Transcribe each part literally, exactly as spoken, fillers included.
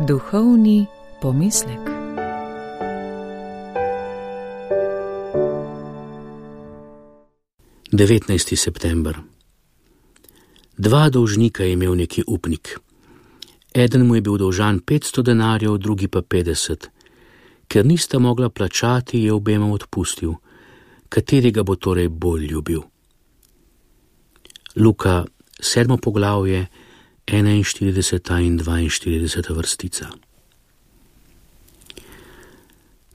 Duhovni pomislek. devetnajsti september. Dva dolžnika je imel neki upnik. Eden mu je bil dolžan petsto denarjev, drugi pa petdeset. Ker nista mogla plačati, je obema odpustil. Katerega bo torej bolj ljubil? Luka, sedmo poglavje, enainštirideseta in dvainštirideseta vrstica.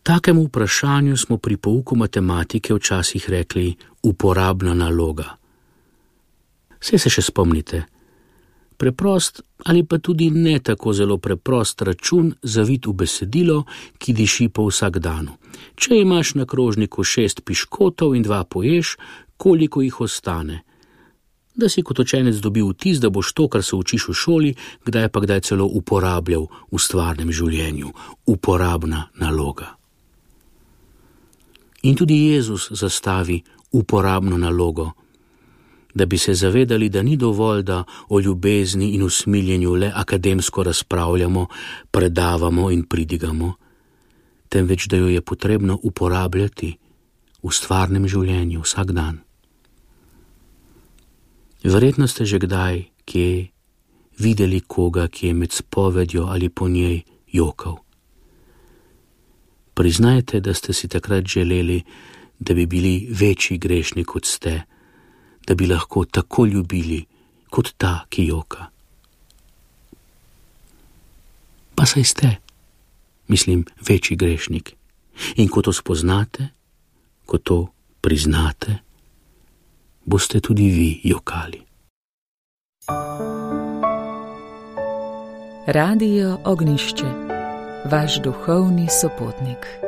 Takemu vprašanju smo pri pouku matematike včasih rekli uporabna naloga. Saj se še spomnite. Preprost ali pa tudi ne tako zelo preprost račun zavit v besedilo, ki diši po vsakdanu. Če imaš na krožniku šest piškotov in dva poješ, koliko jih ostane? Da si kot učenec dobil vtis, da boš to, kar se učiš v šoli, kdaj pa kdaj celo uporabljal v stvarnem življenju. Uporabna naloga. In tudi Jezus zastavi uporabno nalogo, da bi se zavedali, da ni dovolj, da o ljubezni in usmiljenju le akademsko razpravljamo, predavamo in pridigamo, temveč da jo je potrebno uporabljati v stvarnem življenju vsak dan. Verjetno ste že kdaj, kje, videli koga, ki je med spovedjo ali po njej jokal. Priznajte, da ste si takrat želeli, da bi bili večji grešni kot ste, da bi lahko tako ljubili kot ta, ki joka. Pa saj ste, mislim, večji grešnik. In ko to spoznate, ko to priznate, boste tudi vi jokali. Radio Ognjišče, vaš duhovni sopotnik.